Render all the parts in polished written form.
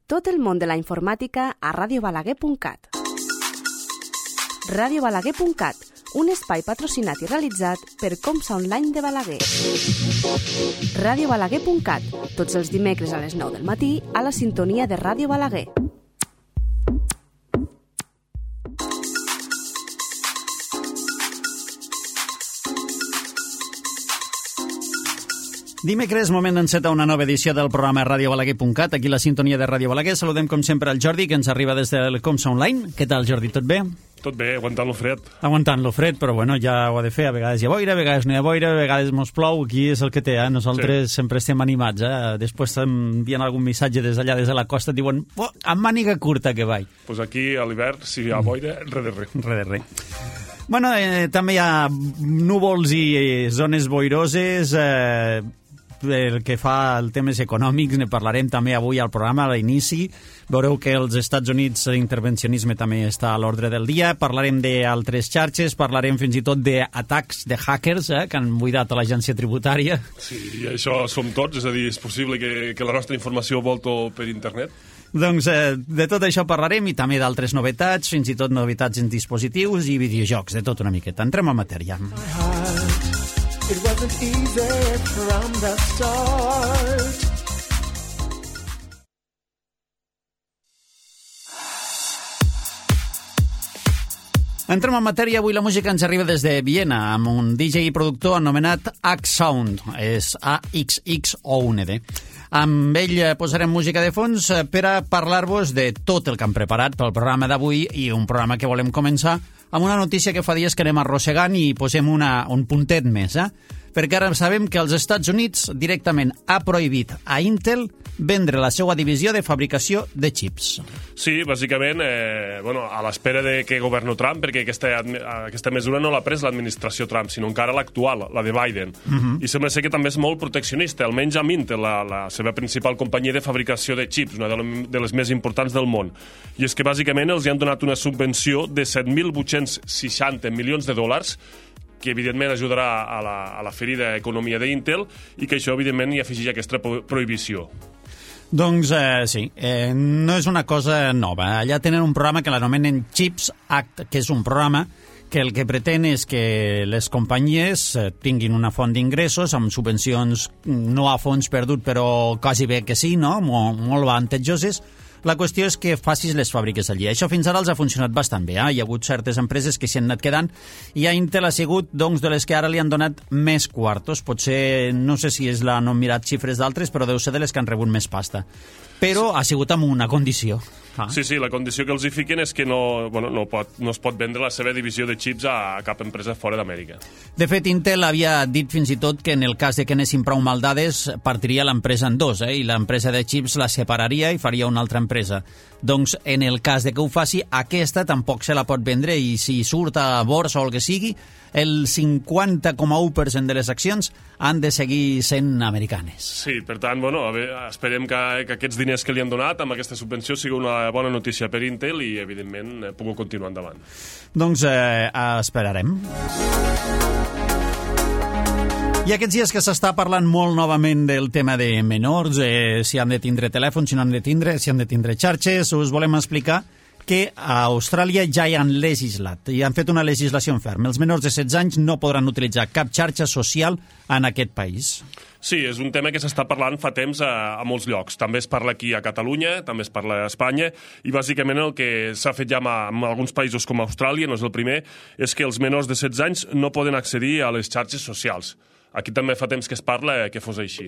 Tot el món de la informàtica a radiobalaguer.cat. radiobalaguer.cat, un espai patrocinat i realitzat per Comsa Online de Balaguer. radiobalaguer.cat, tots els dimecres a les 9 del matí a la sintonia de Ràdio Balaguer. Dimecres, moment d'encetar una nova edició del programa radiobalaguer.cat, aquí la sintonia de Ràdio Balaguer. Saludem, com sempre, el Jordi, que ens arriba des del Comsa Online. Què tal, Jordi? Tot bé? Tot bé, aguantant lo fred. Aguantant lo fred, però bueno, ja ho ha de fer. A vegades hi ha boira, a vegades no hi ha boira, a vegades mos plou. Aquí és el que té, Nosaltres sempre estem animats, Després t'envien algun missatge des d'allà, des de la costa, et diuen, amb màniga curta que vaig. Pues aquí, a l'hivern, si hi ha boira, res de res. Res de res. Bueno, també hi ha núvols i zones boiroses, el que fa el temes econòmics, ne parlarem també avui al programa, a l'inici. Veureu que als Estats Units l'intervencionisme també està a l'ordre del dia. Parlarem d'altres xarxes, parlarem fins i tot d'atacs de hackers que han buidat a l'agència tributària. Sí, i això som tots, és a dir, és possible que la nostra informació volto per internet? Doncs de tot això parlarem i també d'altres novetats, fins i tot novetats en dispositius i videojocs, de tot una miqueta. Entrem a matèria. It wasn't easy from the start. Entrem en matèria. Avui la música ens arriba des de Viena amb un DJ i productor anomenat Axsound. És AXXOUND. Amb ell posarem música de fons per a parlar-vos de tot el que hem preparat pel programa d'avui i un programa que volem començar amb una notícia que fa dies que anem arrossegant i posem un puntet més, perquè ara sabem que els Estats Units directament ha prohibit a Intel vendre la seva divisió de fabricació de xips. Sí, bàsicament, a l'espera de que governi Trump, perquè aquesta mesura no l'ha pres l'administració Trump, sinó encara l'actual, la de Biden. I sembla ser que també és molt proteccionista, almenys amb Intel, la seva principal companyia de fabricació de xips, una de les més importants del món. I és que bàsicament els han donat una subvenció de 7.860 milions de dòlars, que evidentment ajudarà a la ferida economia d'Intel i que això evidentment hi afegeix aquesta prohibició. Doncs sí, no és una cosa nova. Allà tenen un programa que l'anomenen Chips Act, que és un programa que el que pretén és que les companyies tinguin una font d'ingressos amb subvencions no a fons perdut, però quasi bé que sí, no? Molt avantatjoses. La qüestió és que facis les fàbriques allí. Això fins ara els ha funcionat bastant bé. Hi ha hagut certes empreses que s'hi han anat quedant i a Intel ha sigut de les que ara li han donat més quartos. Potser, no sé si no han mirat xifres d'altres, però deu ser de les que han rebut més pasta. Però ha sigut amb una condició. Sí, la condició que els hi fiquen és que no es pot vendre la seva divisió de xips a cap empresa fora d'Amèrica. De fet, Intel havia dit fins i tot que en el cas de que anessin prou mal dades partiria l'empresa en dos, i l'empresa de xips la separaria i faria una altra empresa. Doncs en el cas de que ho faci, aquesta tampoc se la pot vendre i si surt a borsa o el que sigui, el 50,1% de les accions han de seguir sent americanes. Sí, per tant, esperem que aquests diners que li han donat amb aquesta subvenció sigui una bona notícia per Intel i, evidentment, pugui continuar endavant. Doncs esperarem. I aquests dies que s'està parlant molt novament del tema de menors, si han de tindre telèfon, si no han de tindre, si han de tindre xarxes, us volem explicar que a Austràlia ja hi han legislat i han fet una legislació ferma. Els menors de 16 anys no podran utilitzar cap xarxa social en aquest país. Sí, és un tema que s'està parlant fa temps a molts llocs. També es parla aquí a Catalunya, també es parla a Espanya, i bàsicament el que s'ha fet ja en alguns països com Austràlia, no és el primer, és que els menors de 16 anys no poden accedir a les xarxes socials. Aquí també fa temps que es parla que fos així.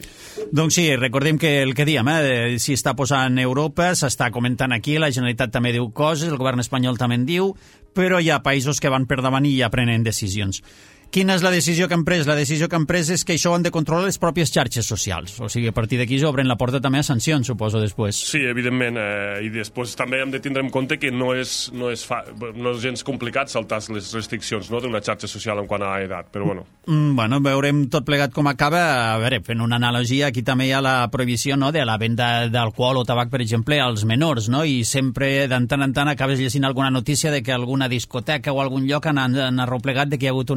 Doncs sí, recordem que el que diem, si està posant Europa, s'està comentant aquí, la Generalitat també diu coses, el govern espanyol també en diu, però hi ha països que van per davant i ja prenen decisions. Quina és la decisió que han pres? La decisió que han pres és que això ho han de controlar les pròpies xarxes socials. O sigui, a partir d'aquí s'obren la porta també a sancions, suposo, després. Sí, evidentment. I després també hem de tindre en compte que no és gens complicat saltar les restriccions d'una xarxa social en quant a edat, però bueno. Veurem tot plegat com acaba. A veure, fent una analogia, aquí també hi ha la prohibició de la venda d'alcohol o tabac, per exemple, als menors, no? I sempre, de tant en tant, acabes llegint alguna notícia de que alguna discoteca o algun lloc han arreplegat de que hi ha hagut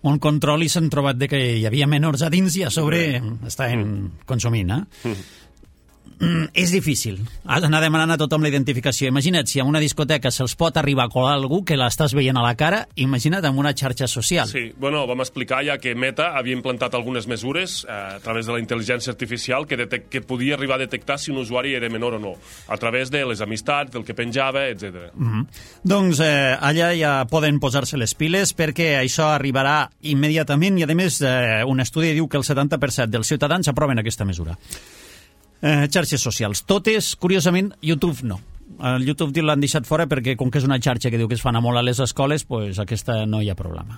un control i s'han trobat de que hi havia menors a dins i a sobre estaven consumint. és difícil. Has d'anar demanant a tothom la identificació. Imagina't, si a una discoteca se'ls pot arribar a colar algú que l'estàs veient a la cara, imagina't amb una xarxa social. Sí, bueno, vam explicar ja que Meta havia implantat algunes mesures a través de la intel·ligència artificial que podia arribar a detectar si un usuari era menor o no, a través de les amistats, del que penjava, etc. Doncs allà ja poden posar-se les piles perquè això arribarà immediatament i, a més, un estudi diu que el 70% dels ciutadans aproven aquesta mesura. Xarxes socials. Totes, curiosament, YouTube no. El YouTube l'han deixat fora perquè, com que és una xarxa que diu que es fan a molt a les escoles, pues aquesta no hi ha problema.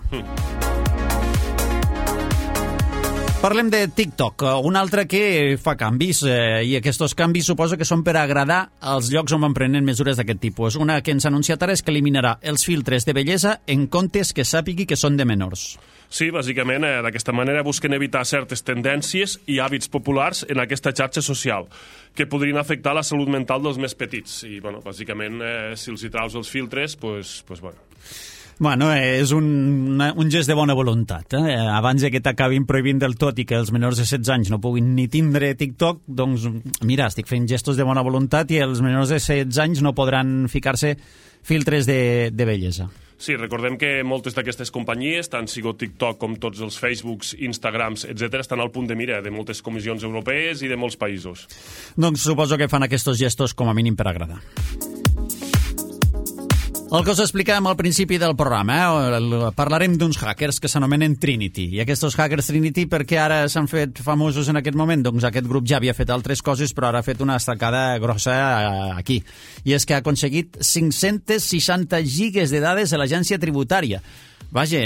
Parlem de TikTok, un altre que fa canvis, i aquests canvis suposo que són per agradar als llocs on van prenent mesures d'aquest tipus. Una que ens ha anunciat ara és que eliminarà els filtres de bellesa en comptes que sàpigui que són de menors. Sí, bàsicament, d'aquesta manera busquen evitar certes tendències i hàbits populars en aquesta xarxa social que podrien afectar la salut mental dels més petits. I, bueno, bàsicament, si els hi traus els filtres, pues bueno. Bueno, és un gest de bona voluntat. Abans que t'acabin prohibint del tot i que els menors de 16 anys no puguin ni tindre TikTok, doncs, mira, estic fent gestos de bona voluntat i els menors de 16 anys no podran ficar-se filtres de bellesa. Sí, recordem que moltes d'aquestes companyies, tant sigo TikTok com tots els Facebooks, Instagrams, etc., estan al punt de mira de moltes comissions europees i de molts països. Doncs suposo que fan aquests gestos com a mínim per agradar. El que us explicàvem al principi del programa, parlarem d'uns hackers que s'anomenen Trinity. I aquests hackers Trinity, per què ara s'han fet famosos en aquest moment? Doncs aquest grup ja havia fet altres coses, però ara ha fet una estacada grossa aquí. I és que ha aconseguit 560 gigas de dades de l'agència tributària. Vaja,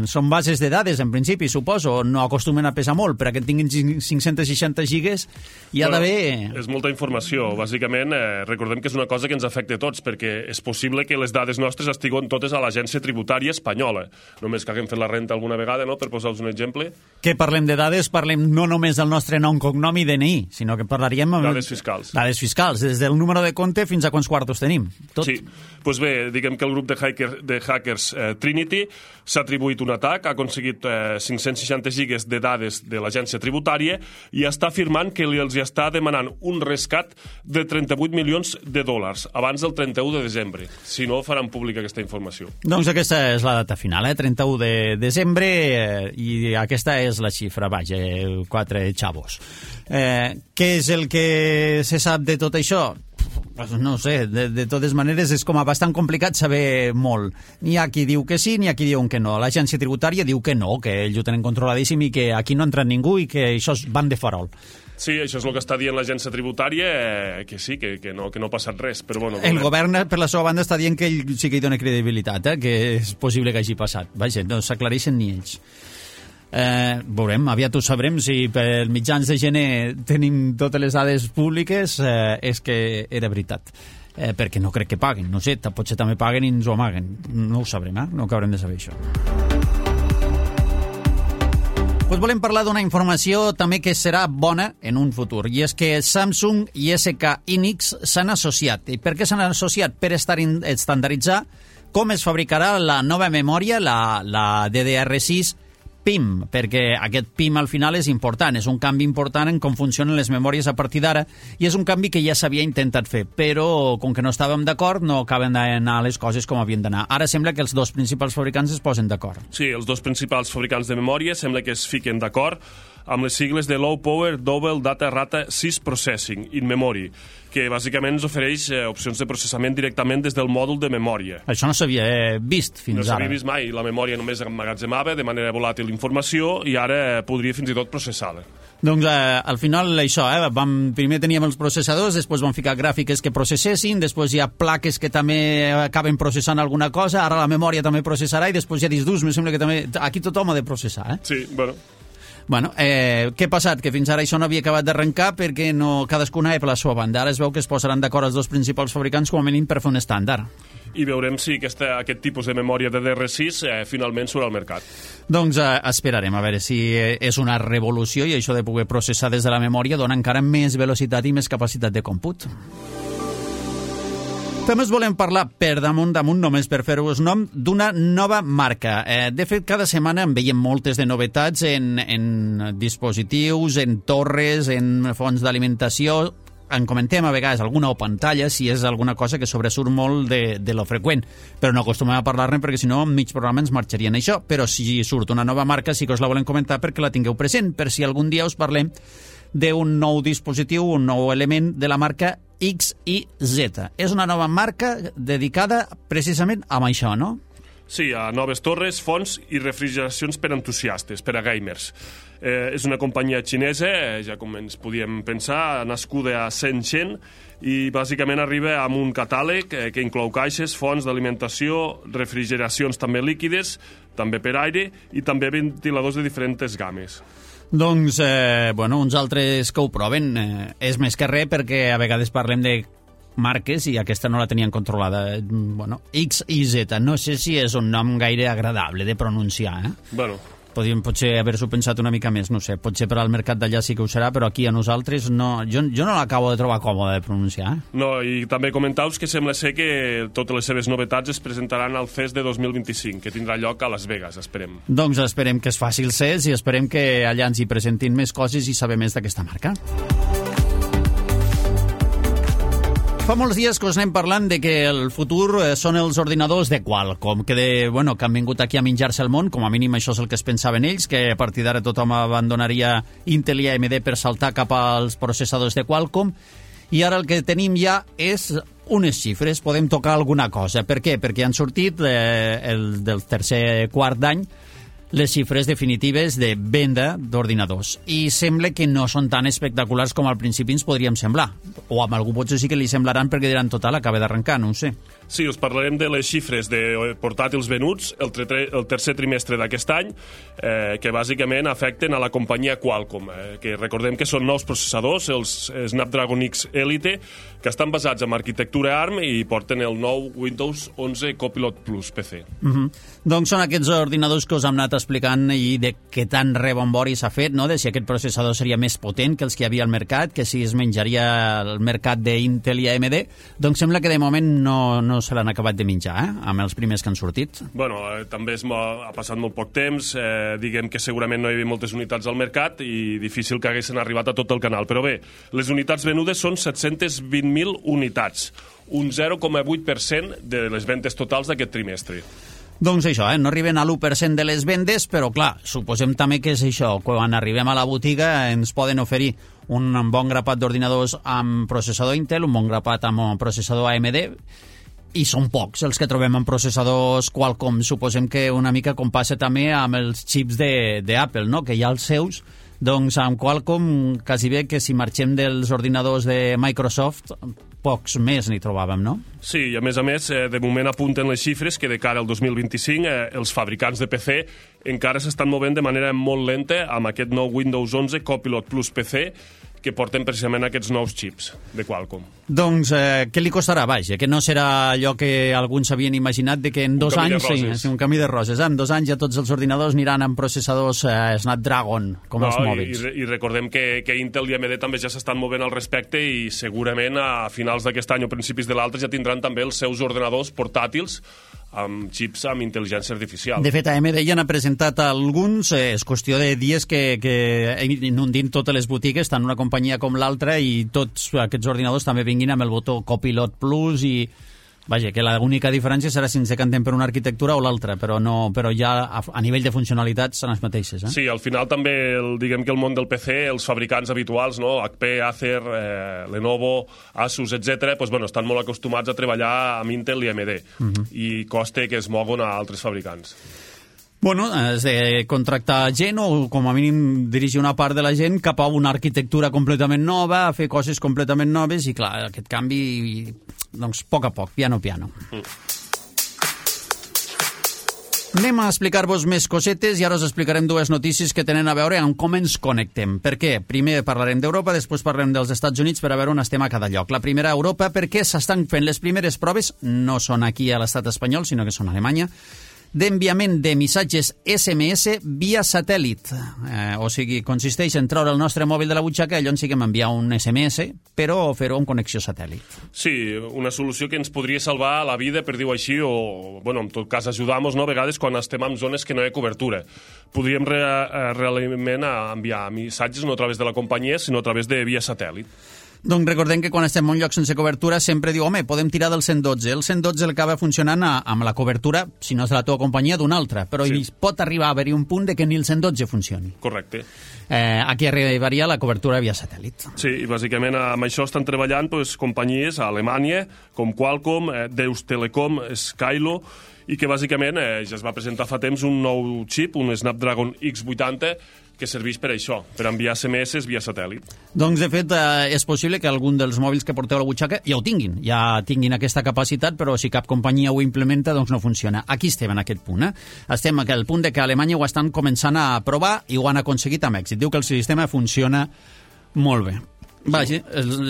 són bases de dades, en principi, suposo, no acostumen a pesar molt, però que tinguin 560 gigas hi ha d'haver... És molta informació. Bàsicament, recordem que és una cosa que ens afecta a tots, perquè és possible que les dades nostres estiguen totes a l'agència tributària espanyola. Només que haguem fet la renta alguna vegada, no?, per posar-vos un exemple. Que parlem de dades, parlem no només del nostre nom, cognom i DNI, sinó que parlaríem... Dades fiscals. Dades fiscals, des del número de compte fins a quants quartos tenim. Tot. Sí, doncs bé, diguem que el grup de hackers Trinity s'ha atribuït un atac, ha aconseguit 560 gigas de dades de l'agència tributària i està afirmant que els està demanant un rescat de 38 milions de dòlars abans del 31 de desembre. Si no, faran pública aquesta informació. Doncs aquesta és la data final, 31 de desembre, i aquesta és la xifra, vaja, 4 xavos. Què és el que se sap de tot això? No sé, de totes maneres és com a bastant complicat saber molt. N'hi ha qui diu que sí, n'hi ha qui diu que no. L'agència tributària diu que no, que ells ho tenen controladíssim i que aquí no ha entrat ningú i que això van de farol. Sí, això és el que està dient l'agència tributària, que sí, que no ha passat res, però bueno... El govern, per la seva banda, està dient que ell sí que hi dona credibilitat, que és possible que hagi passat. Vaja, no s'aclareixen ni ells. Veurem, aviat ho sabrem. Si per mitjans de gener tenim totes les dades públiques, és que era veritat, perquè no crec que paguen, no sé, potser també paguen i ens ho amaguen, no ho sabrem, no acabarem de saber això. Pues volem parlar d'una informació també que serà bona en un futur, i és que Samsung i SK Hynix s'han associat. I per què s'han associat? Per estandarditzar com es fabricarà la nova memòria, la DDR6 PIM, perquè aquest PIM al final és important, és un canvi important en com funcionen les memòries a partir d'ara, i és un canvi que ja s'havia intentat fer, però com que no estàvem d'acord no acaben d'anar les coses com havien d'anar. Ara sembla que els dos principals fabricants es posen d'acord. Sí, els dos principals fabricants de memòria sembla que es fiquen d'acord amb les sigles de Low Power Double Data Rate 6 Processing in Memory, que bàsicament ens ofereix opcions de processament directament des del mòdul de memòria. Això no s'havia vist fins ara. No s'havia vist mai. La memòria només emmagatzemava de manera volàtil informació i ara podria fins i tot processar-la. Doncs al final això, primer teníem els processadors, després vam ficar gràfiques que processessin, després hi ha plaques que també acaben processant alguna cosa, ara la memòria també processarà i després hi ha discs durs, em sembla que també... Aquí tothom ha de processar, Sí, bueno... Bueno, què ha passat? Que fins ara això no havia acabat d'arrencar perquè no, cadascuna per la seva banda. Ara es veu que es posaran d'acord els dos principals fabricants com a mínim per fer un estàndard. I veurem si aquest tipus de memòria de DDR6 finalment surt al mercat. Doncs esperarem a veure si és una revolució i això de poder processar des de la memòria dona encara més velocitat i més capacitat de còmput. També us volem parlar per damunt, només per fer-vos nom, d'una nova marca. De fet, cada setmana en veiem moltes de novetats en dispositius, en torres, en fonts d'alimentació, en comentem a vegades alguna o pantalla si és alguna cosa que sobresurt molt de lo freqüent, però no acostumem a parlar-ne perquè si no en mig programa ens marxarien això, però si surt una nova marca sí que us la volem comentar perquè la tingueu present, per si algun dia us parlem d'un nou dispositiu, un nou element de la marca X i Z. És una nova marca dedicada precisament a això, no? Sí, a noves torres, fonts i refrigeracions per entusiastes, per a gamers. És una companyia xinesa, ja com ens podíem pensar, nascuda a Shenzhen, i bàsicament arriba amb un catàleg que inclou caixes, fonts d'alimentació, refrigeracions també líquides, també per aire, i també ventiladors de diferents games. Doncs, uns altres que ho proven és més que res perquè a vegades parlem de marques i aquesta no la tenien controlada. X i Z, no sé si és un nom gaire agradable de pronunciar, Podríem potser haver-s'ho pensat una mica més, no sé, potser per al mercat d'allà sí que ho serà, però aquí a nosaltres no, jo no l'acabo de trobar còmode de pronunciar. No, i també comentau-vos que sembla ser que totes les seves novetats es presentaran al CES de 2025, que tindrà lloc a Las Vegas, esperem. Doncs esperem que es faci el CES i esperem que allà ens hi presentin més coses i saber més d'aquesta marca. Fa molts dies que us anem parlant de que el futur són els ordinadors de Qualcomm, que han vingut aquí a menjar-se el món, com a mínim això és el que es pensaven ells, que a partir d'ara tothom abandonaria Intel i AMD per saltar cap als processadors de Qualcomm, i ara el que tenim ja és unes xifres, podem tocar alguna cosa. Per què? Perquè han sortit del tercer quart d'any les xifres definitives de venda d'ordinadors. I sembla que no són tan espectaculars com al principi ens podríem semblar. O amb algú potser sí que li semblaran perquè diran total, acaba d'arrencar, no ho sé. Sí, us parlarem de les xifres de portàtils venuts el tercer trimestre d'aquest any, que bàsicament afecten a la companyia Qualcomm, que recordem que són nous processadors, els Snapdragon X Elite, que estan basats en arquitectura ARM i porten el nou Windows 11 Copilot Plus PC. Doncs són aquests ordinadors que us hem anat explicant i de què tan rebombori s'ha fet, no? De si aquest processador seria més potent que els que hi havia al mercat, que si es menjaria el mercat d'Intel i AMD, doncs sembla que de moment no se l'han acabat de menjar, amb els primers que han sortit. També ha passat molt poc temps, diguem que segurament no hi havia moltes unitats al mercat i difícil que haguessin arribat a tot el canal. Però bé, les unitats venudes són 720.000 unitats, un 0,8% de les ventes totals d'aquest trimestre. Doncs això, no arriben a l'1% de les vendes, però clar, suposem també que és això, quan arribem a la botiga ens poden oferir un bon grapat d'ordinadors amb processador Intel, un bon grapat amb processador AMD, i són pocs els que trobem en processadors Qualcomm. Suposem que una mica com passa també amb els xips d'Apple, no? Que hi ha els seus, doncs amb Qualcomm quasi bé que si marxem dels ordinadors de Microsoft pocs més n'hi trobàvem, no? Sí, i a més, de moment apunten les xifres que de cara al 2025 els fabricants de PC encara s'estan movent de manera molt lenta amb aquest nou Windows 11 Copilot Plus PC que porten precisament aquests nous xips de Qualcomm. Doncs què li costarà? Vaja, que no serà allò que alguns havien imaginat de que en 2 anys... Sí, un camí de roses. En 2 anys ja tots els ordinadors aniran amb processadors Snapdragon, com els mòbils. I recordem que Intel i AMD també ja s'estan movent al respecte i segurament a finals d'aquest any o principis de l'altre ja tindran també els seus ordenadors portàtils amb xips amb intel·ligència artificial. De fet, AMD ja n'ha presentat alguns, és qüestió de dies que inundin totes les botigues, tant una companyia com l'altra, i tots aquests ordinadors també vinguin amb el botó Copilot Plus i... Vaja, que l'única diferència serà si ens decantem per una arquitectura o l'altra, però ja a nivell de funcionalitats són les mateixes. Sí, al final també diguem que el món del PC, els fabricants habituals, no? HP, Acer, Lenovo, Asus, etc., estan molt acostumats a treballar amb Intel i AMD i costa que es moguen a altres fabricants. Has de contractar gent o com a mínim dirigir una part de la gent cap a una arquitectura completament nova, a fer coses completament noves i clar, aquest canvi, doncs, a poc, piano. Anem a explicar-vos més cosetes i ara us explicarem 2 notícies que tenen a veure amb com ens connectem. Per què? Primer parlarem d'Europa, després parlarem dels Estats Units per a veure on estem a cada lloc. La primera a Europa perquè s'estan fent les primeres proves, no són aquí a l'estat espanyol, sinó que són a Alemanya, d'enviament de missatges SMS via satèl·lit. O sigui, consisteix en treure el nostre mòbil de la butxaca i allò ens siguem enviar un SMS, però fer-ho amb connexió satèl·lit. Sí, una solució que ens podria salvar la vida, per dir-ho així, o, en tot cas, ajudar-nos, no?, a vegades quan estem en zones que no hi ha cobertura. Podríem realment enviar missatges no a través de la companyia, sinó a través de via satèl·lit. Doncs recordem que quan estem en un lloc sense cobertura sempre diu, home, podem tirar del 112. El 112 acaba funcionant amb la cobertura, si no és de la teva companyia, d'una altra, però sí. Pot arribar a haver-hi un punt de que ni el 112 funcioni. Correcte. Aquí arribaria la cobertura via satèl·lit. Sí, i bàsicament amb això estan treballant companyies a Alemanya, com Qualcomm, Deutsche Telekom, Skylo, i que bàsicament ja es va presentar fa temps un nou xip, un Snapdragon X80, que serveix per això, per enviar SMS via satèl·lit. Doncs, de fet, és possible que algun dels mòbils que porteu a la butxaca ja ho tinguin, ja tinguin aquesta capacitat, però si cap companyia ho implementa, doncs no funciona. Aquí estem en aquest punt. Estem en el punt de que a Alemanya ho estan començant a provar i ho han aconseguit amb èxit. Diu que el sistema funciona molt bé. Vaja,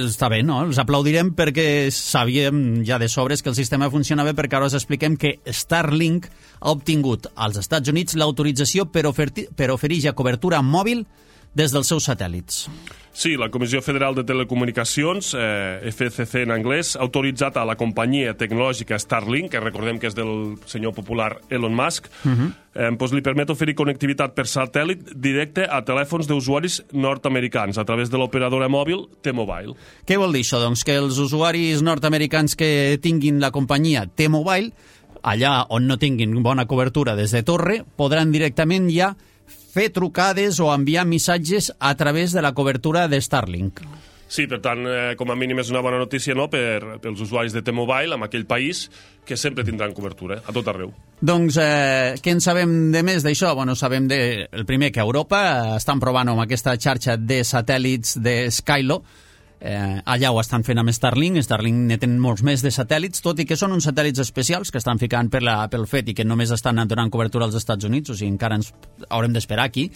està bé, no? Els aplaudirem perquè sabíem ja de sobres que el sistema funciona bé, perquè ara us expliquem que Starlink ha obtingut als Estats Units l'autorització per oferir ja cobertura mòbil des dels seus satèl·lits. Sí, la Comissió Federal de Telecomunicacions, FCC en anglès, ha autoritzat a la companyia tecnològica Starlink, que recordem que és del senyor popular Elon Musk, li permet oferir connectivitat per satèl·lit directe a telèfons d'usuaris nord-americans a través de l'operadora mòbil T-Mobile. Què vol dir això? Doncs que els usuaris nord-americans que tinguin la companyia T-Mobile, allà on no tinguin bona cobertura des de torre, podran directament ja fer trucades o enviar missatges a través de la cobertura de Starlink. Sí, per tant, com a mínim és una bona notícia, no?, pels usuaris de T-Mobile en aquell país, que sempre tindran cobertura, a tot arreu. Doncs, què en sabem de més d'això? Bueno, sabem el primer que a Europa estan provant amb aquesta xarxa de satèl·lits de Skylo. Allà ho estan fent amb Starlink. Starlink ne tenen molts més de satèl·lits, tot i que són uns satèl·lits especials que estan ficant pel fet i que només estan donant cobertura als Estats Units, o sigui, encara ens haurem d'esperar aquí.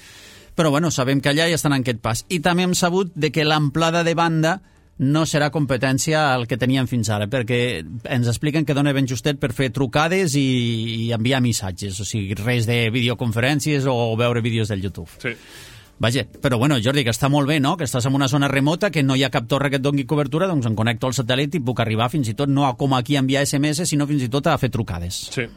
Però bueno, sabem que allà ja estan en aquest pas. I també hem sabut de que l'amplada de banda no serà competència al que teníem fins ara, perquè ens expliquen que dona ben justet per fer trucades i enviar missatges, o sigui, res de videoconferències o veure vídeos del YouTube. Sí. Vaja, però bueno, Jordi, que està molt bé, no?, que estàs en una zona remota, que no hi ha cap torre que et doni cobertura, doncs em connecto al satèl·lit i puc arribar fins i tot no com aquí a enviar SMS, sinó fins i tot a fer trucades. Sí.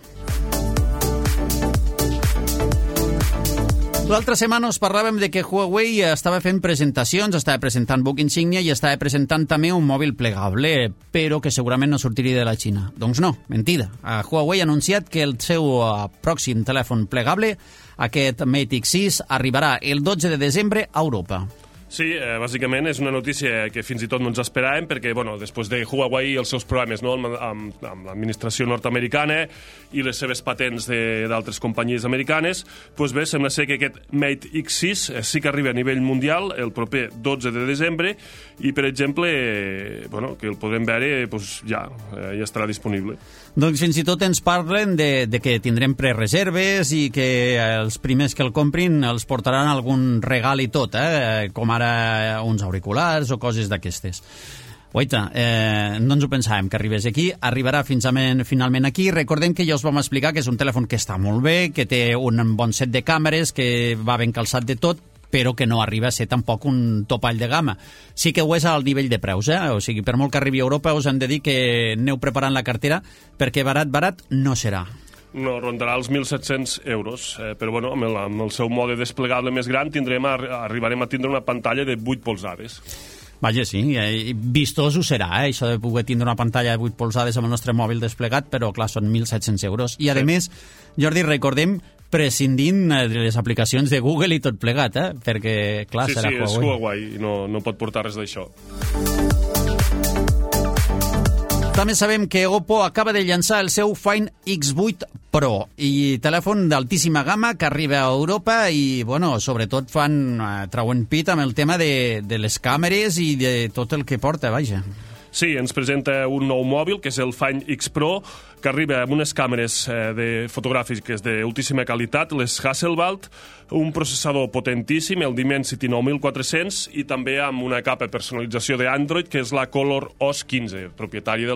L'altra setmana us parlàvem de que Huawei estava fent presentacions, estava presentant Book Insignia i estava presentant també un mòbil plegable, però que segurament no sortiria de la Xina. Doncs no, mentida. Huawei ha anunciat que el seu pròxim telèfon plegable, aquest Mate X6, arribarà el 12 de desembre a Europa. Sí, bàsicament és una notícia que fins i tot no ens esperàvem perquè, bueno, després de Huawei i els seus problemes, no?, amb l'administració nord-americana i les seves patents d'altres companyies americanes, doncs bé, sembla ser que aquest Mate X6 sí que arriba a nivell mundial el proper 12 de desembre i, per exemple, bueno, que el podrem veure, doncs ja estarà disponible. Doncs fins i tot ens parlen de que tindrem prereserves i que els primers que el comprin els portaran algun regal i tot, com ara uns auriculars o coses d'aquestes. Oita, no ens ho pensàvem que arribés aquí, arribarà finalment aquí. Recordem que ja us vam explicar que és un telèfon que està molt bé, que té un bon set de càmeres, que va ben calçat de tot, però que no arriba a ser tampoc un topall de gamma. Sí que ho és al nivell de preus, o sigui, per molt que arribi a Europa us hem de dir que aneu preparant la cartera perquè barat no serà. No, rondarà els 1.700 euros, però bueno, amb el seu mode desplegable més gran arribarem a tindre una pantalla de 8 polzades. Vaja, sí, vistós ho serà, això de poder tindre una pantalla de 8 polzades amb el nostre mòbil desplegat, però clar, són 1.700 euros. I a més, Jordi, recordem, prescindint de les aplicacions de Google i tot plegat, perquè, clar, serà Huawei. Sí, és Huawei, no pot portar res d'això. També sabem que Oppo acaba de llançar el seu Find X8 Pro, i telèfon d'altíssima gamma que arriba a Europa i, bueno, sobretot trauen pit amb el tema de les càmeres i de tot el que porta, vaja. Sí, ens presenta un nou mòbil, que és el Find X Pro, que arriba amb unes càmeres fotogràfiques d'altíssima qualitat, les Hasselblad, un processador potentíssim, el Dimensity 9400, i també amb una capa de personalització d'Android, que és la Color OS 15, propietària de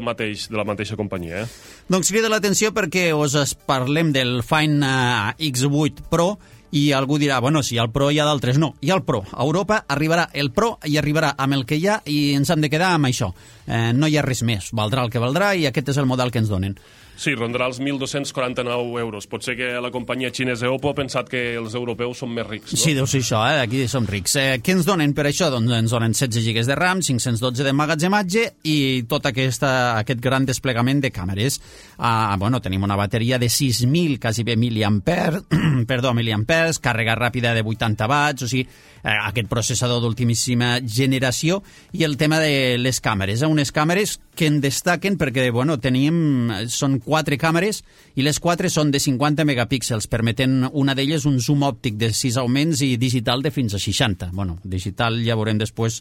la mateixa companyia. Doncs crida l'atenció perquè us parlem del Find X8 Pro, i algú dirà, bueno, si hi ha el Pro hi ha d'altres. No, hi ha el Pro. A Europa arribarà el Pro i arribarà amb el que hi ha i ens hem de quedar amb això. No hi ha res més. Valdrà el que valdrà i aquest és el model que ens donen. Sí, rondarà els 1.249 euros. Pot ser que la companyia xinesa Oppo ha pensat que els europeus són més rics, no? Sí, deu ser això, aquí som rics. Què ens donen per això? Doncs ens donen 16 GB de RAM, 512 d'emmagatzematge i tot aquest gran desplegament de càmeres. Tenim una bateria de 6.000, quasi bé miliamperes, càrrega ràpida de 80 watts, o sigui, aquest processador d'ultimíssima generació, i el tema de les càmeres. Unes càmeres que en destaquen perquè, són 4 càmeres i les 4 són de 50 megapíxels, permeten una d'elles un zoom òptic de 6 augments i digital de fins a 60. Digital ja veurem després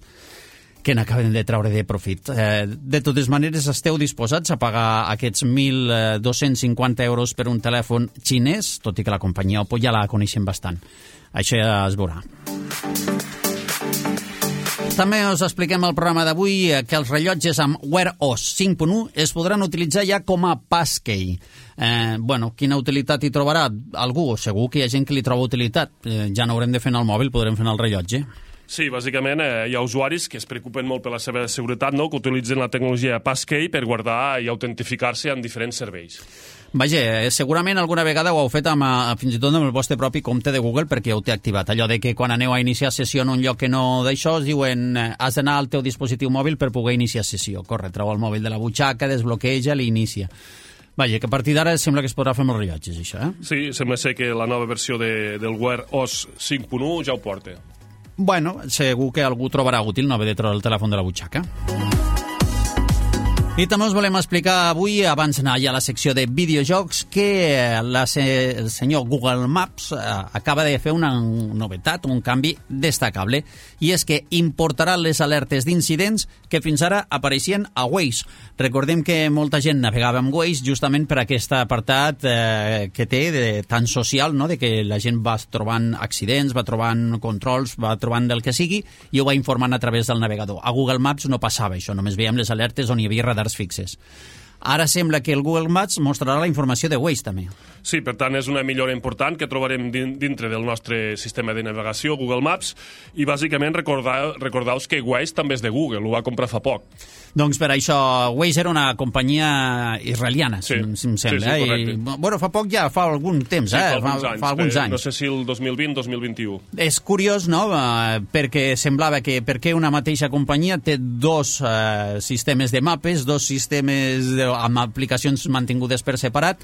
que n'acaben de treure de profit. De totes maneres, esteu disposats a pagar aquests 1.250 euros per un telèfon xinès, tot i que la companyia Oppo ja la coneixem bastant. Això ja es veurà. També us expliquem al programa d'avui que els rellotges amb Wear OS 5.1 es podran utilitzar ja com a passkey. Quina utilitat hi trobarà? Algú? Segur que hi ha gent que li troba utilitat. Ja no haurem de fer en el mòbil, podrem fer en el rellotge. Sí, bàsicament hi ha usuaris que es preocupen molt per la seva seguretat, no? Que utilitzen la tecnologia passkey per guardar i autentificar-se en diferents serveis. Vaja, segurament alguna vegada ho heu fet fins i tot amb el vostre propi compte de Google perquè ja ho té activat. Allò de que quan aneu a iniciar sessió en un lloc que no d'això, us diuen has d'anar al teu dispositiu mòbil per poder iniciar sessió. Corre, treu el mòbil de la butxaca, desbloqueja, l'inicia. Vaja, que a partir d'ara sembla que es podrà fer amb els rellotges, això, Sí, sembla ser que la nova versió del Wear OS 5.1 ja ho porta. Segur que algú trobarà útil no haver de treure el telèfon de la butxaca. I també us volem explicar avui, abans d'anar ja a la secció de videojocs, que el senyor Google Maps acaba de fer una novetat, un canvi destacable, i és que importarà les alertes d'incidents que fins ara apareixien a Waze. Recordem que molta gent navegava amb Waze justament per aquest apartat que té de tan social, no? De que la gent va trobant accidents, va trobant controls, va trobant del que sigui, i ho va informant a través del navegador. A Google Maps no passava això, només veiem les alertes on hi havia radars fixes. Ara sembla que el Google Maps mostrarà la informació de Waze també. Sí, per tant, és una millora important que trobarem dintre del nostre sistema de navegació, Google Maps, i bàsicament recordeu que Waze també és de Google, ho va comprar fa poc. Doncs per això, Waze era una companyia israeliana, si em sembla. Sí, correcte. Fa poc ja, fa algun temps, fa alguns anys. No sé si el 2020-2021. És curiós, no?, perquè semblava que perquè una mateixa companyia té dos sistemes de mapes, dos sistemes amb aplicacions mantingudes per separat,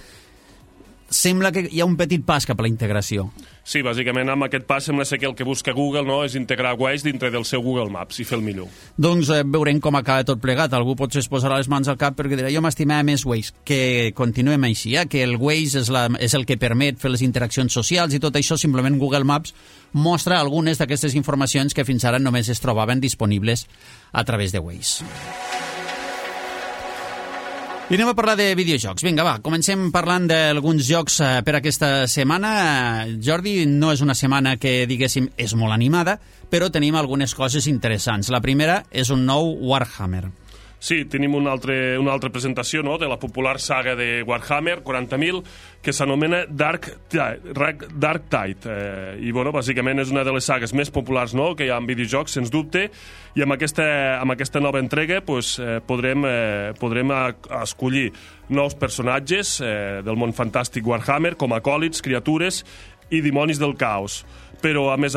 sembla que hi ha un petit pas cap a la integració. Sí, bàsicament amb aquest pas sembla ser que el que busca Google, no, és integrar Waze dintre del seu Google Maps i fer el millor. Doncs veurem com acaba tot plegat. Algú potser es posarà les mans al cap perquè dirà jo m'estimava més Waze. Que continuem així, que el Waze és el que permet fer les interaccions socials i tot això, simplement Google Maps mostra algunes d'aquestes informacions que fins ara només es trobaven disponibles a través de Waze. I anem a parlar de videojocs. Vinga, va, comencem parlant d'alguns jocs per aquesta setmana. Jordi, no és una setmana que, diguéssim, és molt animada, però tenim algunes coses interessants. La primera és un nou Warhammer. Sí, tenim una altra presentació, no?, de la popular saga de Warhammer 40.000, que s'anomena Dark Tide. I, bàsicament és una de les sagues més populars, no?, que hi ha en videojocs, sens dubte, i amb aquesta nova entrega podrem escollir nous personatges del món fantàstic Warhammer, com acòlits, criatures i dimonis del caos. Però, a més,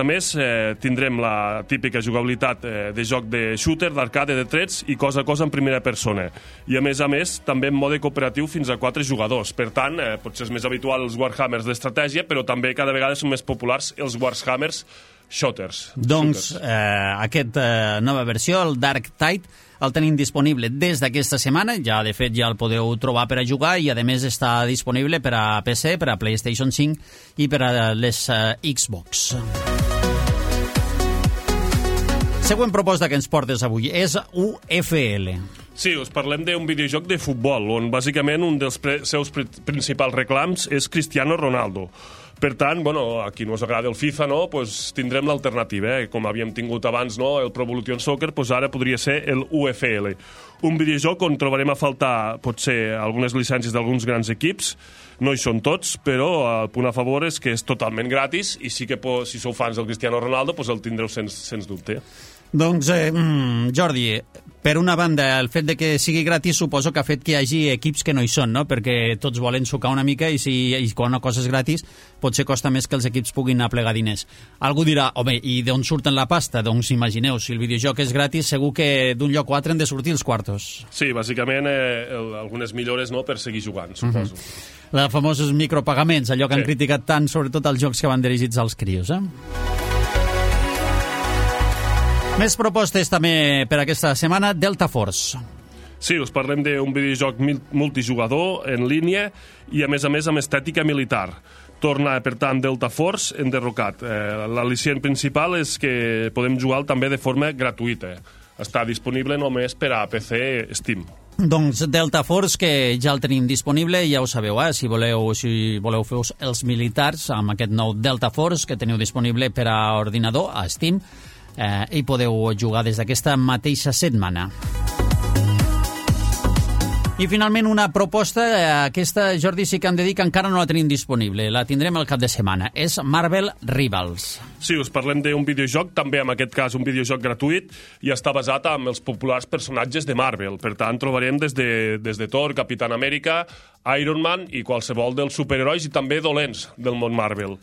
tindrem la típica jugabilitat de joc de shooter, d'arcade, de trets i cosa a cosa en primera persona. I, a més, també en mode cooperatiu fins a 4 jugadors. Per tant, potser és més habitual els Warhammers d'estratègia, però també cada vegada són més populars els Warhammers shooters. Doncs aquesta nova versió, el Dark Tide, el tenim disponible des d'aquesta setmana, ja de fet ja el podeu trobar per a jugar i a més està disponible per a PC, per a PlayStation 5 i per a les Xbox. Següent proposta que ens portes avui és UFL. Sí, us parlem d'un videojoc de futbol, on bàsicament un dels seus principals reclams és Cristiano Ronaldo. Per tant, a qui no us agrada el FIFA, no, tindrem l'alternativa, com havíem tingut abans, no, el Pro Evolution Soccer, ara podria ser el UFL. Un videojoc on trobarem a faltar, potser, algunes llicències d'alguns grans equips, no hi són tots, però el punt a favor és que és totalment gratis i sí que si sou fans del Cristiano Ronaldo el tindreu sens dubte. Doncs, Jordi, per una banda, el fet de que sigui gratis suposo que ha fet que hi hagi equips que no hi són, no? Perquè tots volen sucar una mica i quan una cosa és gratis potser costa més que els equips puguin aplegar diners. Algú dirà, home, i d'on surten la pasta? Doncs imagineu, si el videojoc és gratis, segur que d'un lloc o altre han de sortir els quartos. Sí, bàsicament algunes millores, no?, per seguir jugant, suposo. Els famosos micropagaments, allò que han criticat tant, sobretot els jocs que van dirigits als crios, Més propostes també per aquesta setmana, Delta Force. Sí, us parlem d'un videojoc multijugador en línia i, a més amb estètica militar. Torna, per tant, Delta Force enderrocat. L'al·licient principal és que podem jugar també de forma gratuïta. Està disponible només per a PC Steam. Doncs Delta Force, que ja el tenim disponible, ja ho sabeu, si voleu fer els militars amb aquest nou Delta Force que teniu disponible per a ordinador, a Steam, i podeu jugar des d'aquesta mateixa setmana. I finalment una proposta, aquesta, Jordi, sí que hem de dir que encara no la tenim disponible, la tindrem al cap de setmana, és Marvel Rivals. Sí, us parlem d'un videojoc, també en aquest cas un videojoc gratuït, i està basat en els populars personatges de Marvel. Per tant, trobarem des de Thor, Capitán Amèrica, Iron Man i qualsevol dels superherois i també dolents del món Marvel.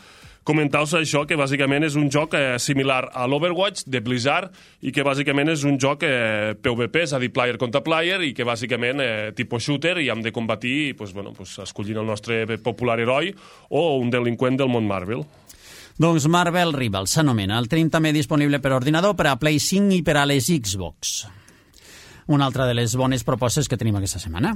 Comentar-vos això, que bàsicament és un joc similar a l'Overwatch de Blizzard i que bàsicament és un joc PvP, és a dir, player contra player, i que bàsicament tipus shooter, i hem de combatir escollint el nostre popular heroi o un delinqüent del món Marvel. Doncs Marvel Rivals s'anomena. El tenim també disponible per ordinador, per a Play 5 i per a les Xbox. Una altra de les bones propostes que tenim aquesta setmana.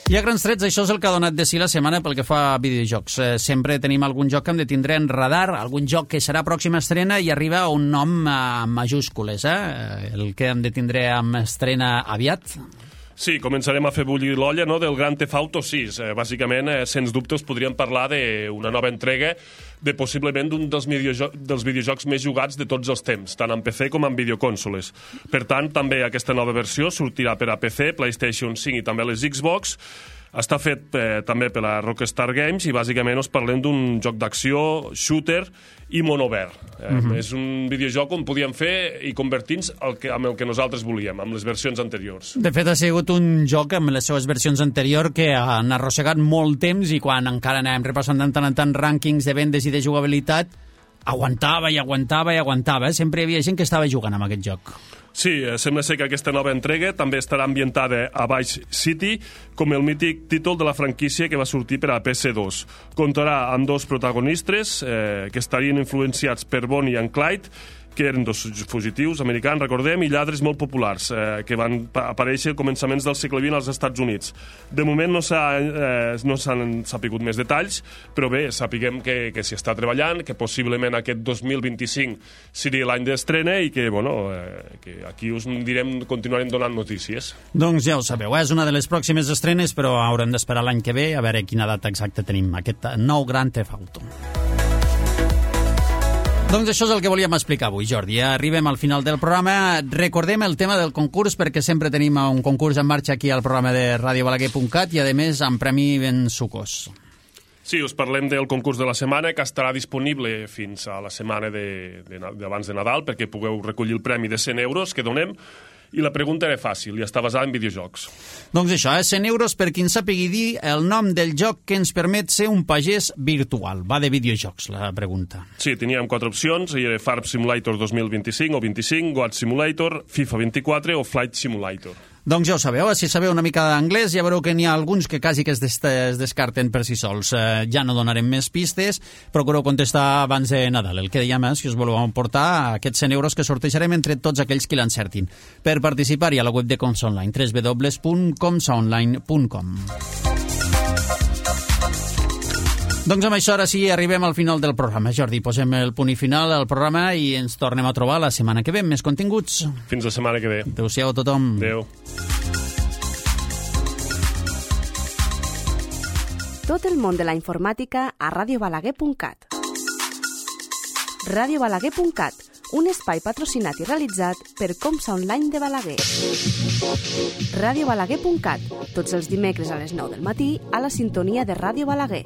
I a grans trets, això és el que ha donat de si la setmana pel que fa a videojocs. Sempre tenim algun joc que hem de tindre en radar, algun joc que serà pròxima estrena i arriba a un nom amb majúscules, el que hem de tindre amb estrena aviat. Sí, començarem a fer bullir l'olla, no?, del Grand Theft Auto 6. Bàsicament, sens dubte, us podríem parlar d'una nova entrega de possiblement d'un dels videojocs més jugats de tots els temps, tant en PC com en videoconsoles. Per tant, també aquesta nova versió sortirà per a PC, PlayStation 5 i també les Xbox. Està fet també per la Rockstar Games i bàsicament us parlem d'un joc d'acció, shooter i món obert. És un videojoc on podíem fer i convertir-nos amb el que nosaltres volíem, amb les versions anteriors. De fet, ha sigut un joc amb les seves versions anteriors que han arrossegat molt temps i quan encara anàvem repassant de tant en tant rànquings de vendes i de jugabilitat, aguantava i aguantava i aguantava. Sempre hi havia gent que estava jugant amb aquest joc. Sí, sembla ser que aquesta nova entrega també estarà ambientada a Vice City, com el mític títol de la franquícia que va sortir per a PS2. Comptarà amb dos protagonistes que estarien influenciats per Bonnie and Clyde, que eren dos fugitius americans, recordem, i lladres molt populars, que van aparèixer a començaments del segle XX als Estats Units. De moment no s'han sapigut més detalls, però bé, sapiguem que s'hi està treballant, que possiblement aquest 2025 seria l'any d'estrena i que, que aquí us direm, continuarem donant notícies. Doncs ja ho sabeu, és una de les pròximes estrenes, però haurem d'esperar l'any que ve a veure quina data exacta tenim, aquest nou Grand Theft Auto. Doncs això és el que volíem explicar avui, Jordi. Arribem al final del programa. Recordem el tema del concurs, perquè sempre tenim un concurs en marxa aquí al programa de radiobalaguer.cat i, a més, amb premi ben sucós. Sí, us parlem del concurs de la setmana, que estarà disponible fins a la setmana d'abans de Nadal, perquè pugueu recollir el premi de 100 euros que donem. I la pregunta era fàcil, i està basada en videojocs. Doncs això, 100 euros per qui en sàpigui dir el nom del joc que ens permet ser un pagès virtual. Va de videojocs, la pregunta. Sí, teníem 4 opcions, i era Farm Simulator 2025 o 25, Goat Simulator, FIFA 24 o Flight Simulator. Doncs ja ho sabeu, si sabeu una mica d'anglès ja veureu que n'hi ha alguns que quasi que es descarten per si sols. Ja no donarem més pistes, procureu contestar abans de Nadal. El que dèiem és que us voleu emportar aquests 100 euros que sortejarem entre tots aquells que l'encertin. Per participar-hi a la web de Comsa Online, www.comsaonline.com. Doncs amb això ara sí arribem al final del programa. Jordi, posem el punt i final al programa i ens tornem a trobar la setmana que ve amb més continguts. Fins la setmana que ve. Adéu-siau a tothom. Adéu. Tot el món de la informàtica a radiobalaguer.cat. Radiobalaguer.cat, un espai patrocinat i realitzat per Comsa Online de Balaguer. Radiobalaguer.cat, tots els dimecres a les 9 del matí a la sintonia de Ràdio Balaguer.